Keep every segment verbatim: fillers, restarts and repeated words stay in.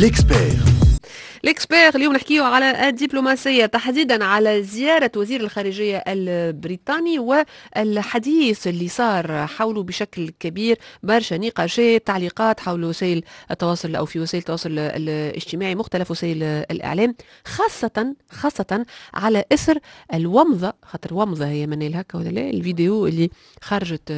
L'expert. L'expert اليوم نحكيو على الدبلوماسية، تحديدا على زيارة وزير الخارجية البريطاني والحديث اللي صار حوله بشكل كبير، برشا نقاشات، تعليقات حول وسائل التواصل أو في وسائل التواصل الاجتماعي، مختلف وسائل الإعلام، خاصة خاصة على إثر الومضة، خاطر ومضة هي من هكا ولا لا، الفيديو اللي خرجت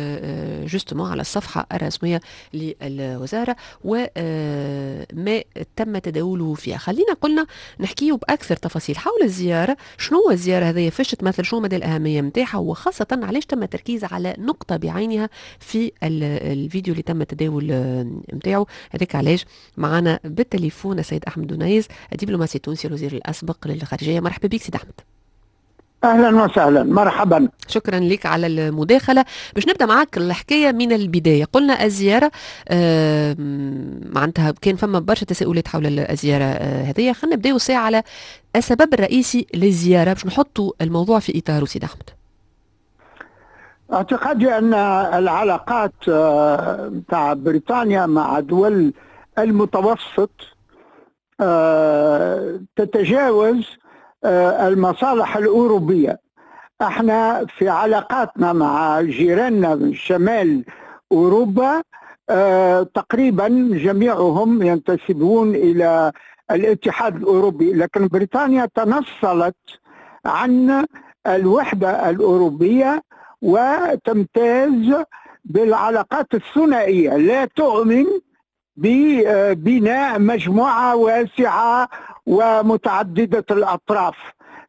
justement على الصفحة الرسمية للوزارة وما تم تداوله فيها. خلينا قلنا نحكيه باكثر تفاصيل حول الزياره، شنو هو الزيارة هذه، فاش تمثل، شنو مدى الاهمية نتاعها، وخاصة علاش تم التركيز على نقطة بعينها في الفيديو اللي تم التداول نتاعو. هذاك علاش معنا بالتليفون السيد احمد دنيز، الدبلوماسي التونسي، الوزير الاسبق للخارجيه. مرحبا بك سيد احمد. اهلا وسهلا، مرحبا. شكرا لك على المداخله. باش نبدا معك الحكاية من البدايه، قلنا الزيارة آه معناتها كان فما برشا تساؤلات حول الزيارة آه هذه. خلينا نبداو ساعة على السبب الرئيسي للزيارة باش نحطوا الموضوع في اطاره، سيد احمد. اعتقادي ان العلاقات نتاع بريطانيا مع دول المتوسط آه، تتجاوز آه، المصالح الأوروبية. احنا في علاقاتنا مع جيراننا من شمال أوروبا آه، تقريبا جميعهم ينتسبون إلى الاتحاد الأوروبي، لكن بريطانيا تنصلت عن الوحدة الأوروبية وتمتاز بالعلاقات الثنائية، لا تؤمن ببناء مجموعة واسعة ومتعددة الأطراف.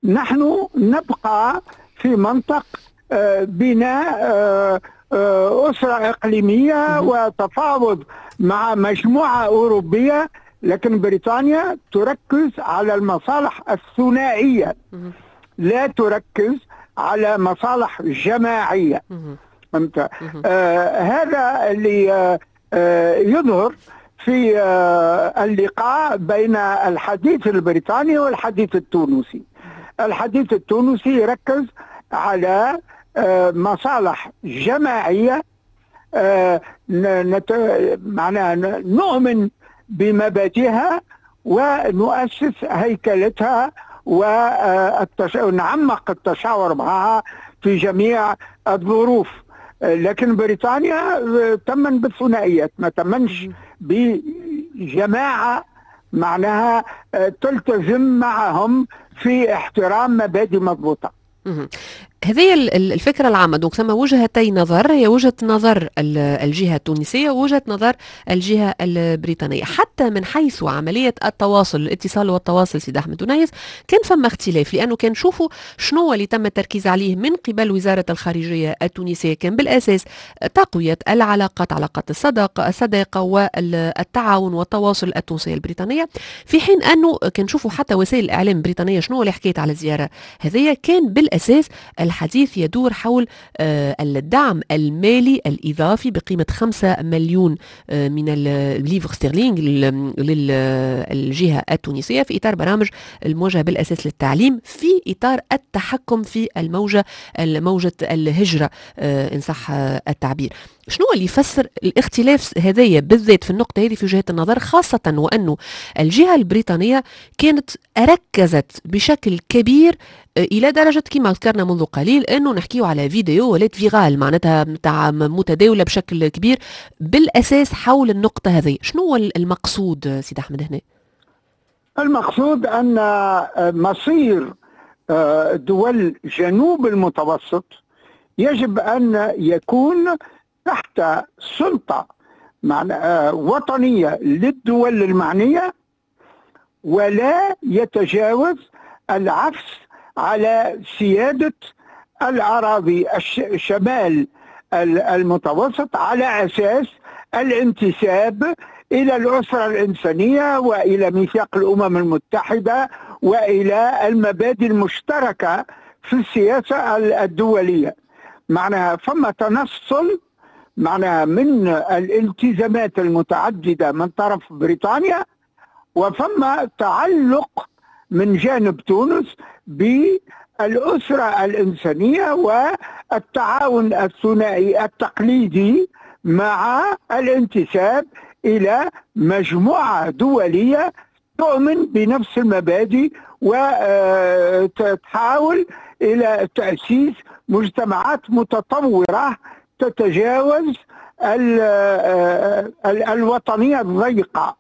نحن نبقى في منطق آه، بناء آه، آه، أسرة إقليمية وتفاوض مع مجموعة أوروبية، لكن بريطانيا تركز على المصالح الثنائية، لا تركز على مصالح جماعية. فهمت؟ آه هذا اللي آه يظهر في آه اللقاء بين الحديث البريطاني والحديث التونسي. الحديث التونسي يركز على آه مصالح جماعية، آه نت... معناها نؤمن بمبادئها ونؤسس هيكلتها ونعمق التشاور معها في جميع الظروف. لكن بريطانيا تمن بالثنائيات، ما تمنش بجماعة معناها تلتزم معهم في احترام مبادئ مضبوطة. هذه الفكرة العامة. donc ثم وجهتي نظر، هي وجهة نظر الجهة التونسية ووجهة نظر الجهة البريطانية. حتى من حيث عملية التواصل، الاتصال والتواصل، سيد أحمد دنيز، كان فما اختلاف، لأنه كان نشوفوا شنو اللي تم التركيز عليه من قبل وزارة الخارجية التونسية كان بالأساس تقوية العلاقات، علاقات الصداقة الصداقة والتعاون والتواصل التونسية البريطانية، في حين أنه كان نشوفوا حتى وسائل الإعلام البريطانية شنو اللي حكيت على الزيارة هذه، كان بالأساس الحديث يدور حول الدعم المالي الإضافي بقيمة خمسة مليون من ال livres sterling للجهة التونسية في إطار برامج الموجهة بالأساس للتعليم في إطار التحكم في الموجة موجة الهجرة إن صح التعبير. شنو اللي يفسر الاختلاف هذايا بالذات في النقطة هذه في وجهات النظر، خاصة وأنه الجهة البريطانية كانت ركزت بشكل كبير الى درجه كما ذكرنا منذ قليل انه نحكيو على فيديو ولات virale، معناتها نتاع متداوله بشكل كبير بالاساس حول النقطة هذه. شنو هو المقصود سيد احمد هنا؟ المقصود ان مصير دول جنوب المتوسط يجب ان يكون تحت سلطة وطنية للدول المعنية، ولا يتجاوز العفس على سيادة الأراضي الشمال المتوسط على أساس الانتساب إلى الأسرة الإنسانية وإلى ميثاق الأمم المتحدة وإلى المبادئ المشتركة في السياسة الدولية. معناها فما تنصل معناها من الالتزامات المتعددة من طرف بريطانيا، وفما تعلق من جانب تونس بالأسرة الإنسانية والتعاون الثنائي التقليدي مع الانتساب إلى مجموعة دولية تؤمن بنفس المبادئ وتحاول إلى تأسيس مجتمعات متطورة تتجاوز الوطنية الضيقة.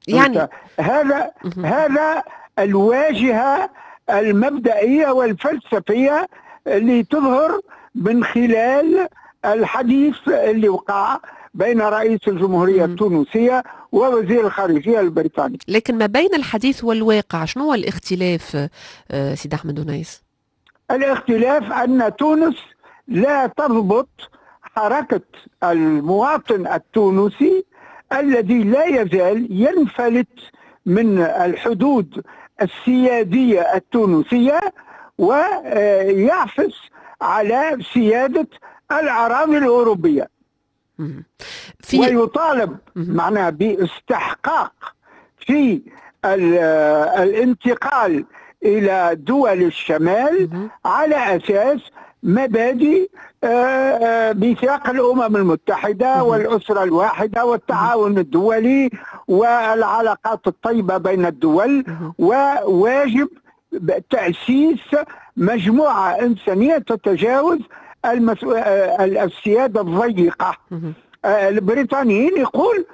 يعني هذا هذا الواجهة المبدئية والفلسفية اللي تظهر من خلال الحديث اللي وقع بين رئيس الجمهورية التونسية ووزير الخارجية البريطاني. لكن ما بين الحديث والواقع شنو هو الاختلاف سيد أحمد أنيس؟ الاختلاف أن تونس لا تضبط حركة المواطن التونسي الذي لا يزال ينفلت من الحدود السيادية التونسية ويعفس على سيادة الأراضي الأوروبية. في ويطالب معناها باستحقاق في الانتقال إلى دول الشمال على أساس مبادئ ميثاق الأمم المتحدة والأسرة الواحدة والتعاون الدولي والعلاقات الطيبة بين الدول، وواجب تأسيس مجموعة إنسانية تتجاوز المسؤ... السيادة الضيقة. البريطانيين يقول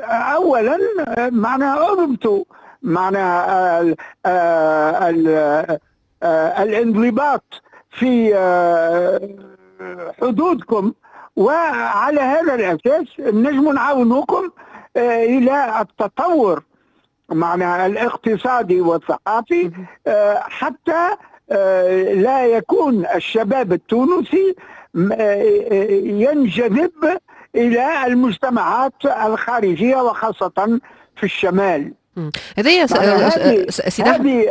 أولا معناها أضبطوا معناها ال... ال... الانضباط في حدودكم، وعلى هذا الأساس نجم نعاونكم إلى التطور معناها الاقتصادي والثقافي حتى لا يكون الشباب التونسي ينجذب إلى المجتمعات الخارجية وخاصة في الشمال. هذه هذه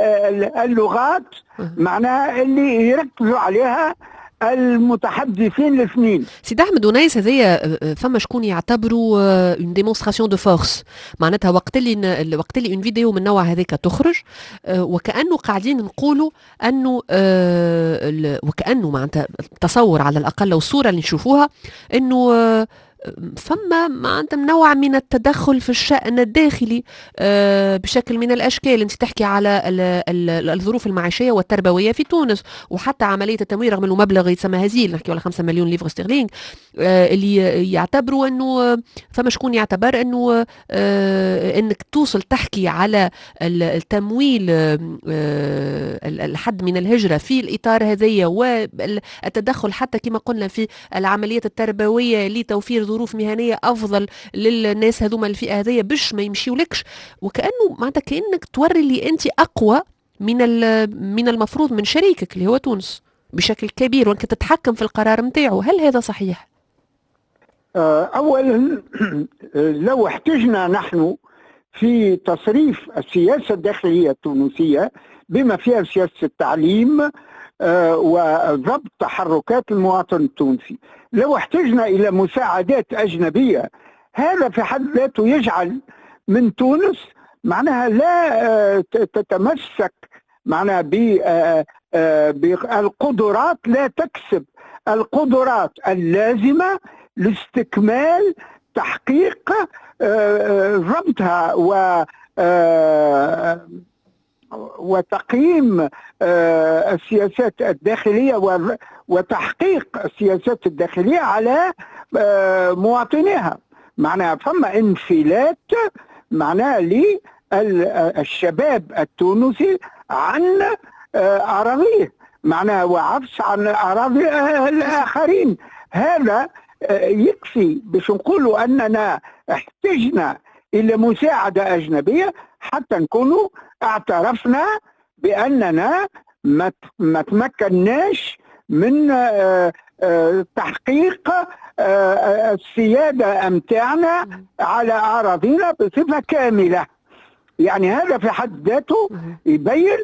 اللغات معناها اللي يركزوا عليها المتحدثين الاثنين. سيد احمد أنيس، هذايا فما شكون يعتبروا une démonstration de force، معناتها وقت اللي وقت اللي une vidéo من النوع هذاك تخرج وكانه قاعدين نقولوا انه وكانه معناتها تصور على الاقل والصورة اللي نشوفوها انه فما معناتها نوع من التدخل في الشأن الداخلي بشكل من الأشكال. أنت تحكي على الظروف المعيشية والتربوية في تونس، وحتى عملية التمويل رغم أنه مبلغ يتسمى هزيل، نحكي على خمسة مليون livres sterling، اللي يعتبروا أنه فما شكون يعتبر أنه أنك توصل تحكي على التمويل الحد من الهجرة في الإطار هذايا والتدخل حتى كما قلنا في العمليات التربوية لتوفير ظروف مهنية أفضل للناس هذوما الفئة هذيا باش ما يمشيولكش، وكأنه معناتها كأنك توري اللي أنت أقوى من من المفروض من شريكك اللي هو تونس بشكل كبير، وأنك تتحكم في القرار نتاعو. هل هذا صحيح؟ أولا لو احتجنا نحن في تصريف السياسة الداخلية التونسية بما فيها سياسة التعليم وضبط تحركات المواطن التونسي، لو احتجنا إلى مساعدات أجنبية، هذا في حد ذاته يجعل من تونس معناها لا تتمسك معناها بالقدرات، لا تكسب القدرات اللازمة لاستكمال تحقيق ضبطها و وتقييم السياسات الداخلية وتحقيق السياسات الداخلية على مواطنيها. معناها فما انفلات معناها للشباب التونسي عن أراضيه، معناها وعفس عن أراضي الآخرين. هذا يكفي باش نقولوا أننا احتجنا إلى مساعدة أجنبية حتى نكونوا اعترفنا بأننا ما تمكناش من تحقيق السيادة أمتاعنا على أراضينا بصفة كاملة. يعني هذا في حد ذاته يبين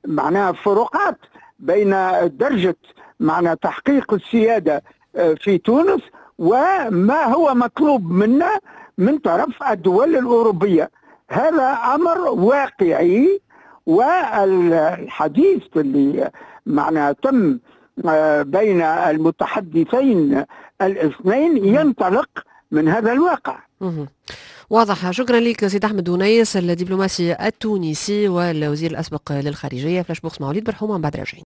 معناها فروقات بين درجة معنى تحقيق السيادة في تونس وما هو مطلوب منا من طرف الدول الأوروبية. هذا أمر واقعي، والحديث اللي معناها تم بين المتحدثين الاثنين ينطلق من هذا الواقع. واضح، شكرا لك سيد احمد ونيس، الدبلوماسي التونسي والوزير الاسبق للخارجيه. flash bourse مع وليد برحومه، من بعد راجعين.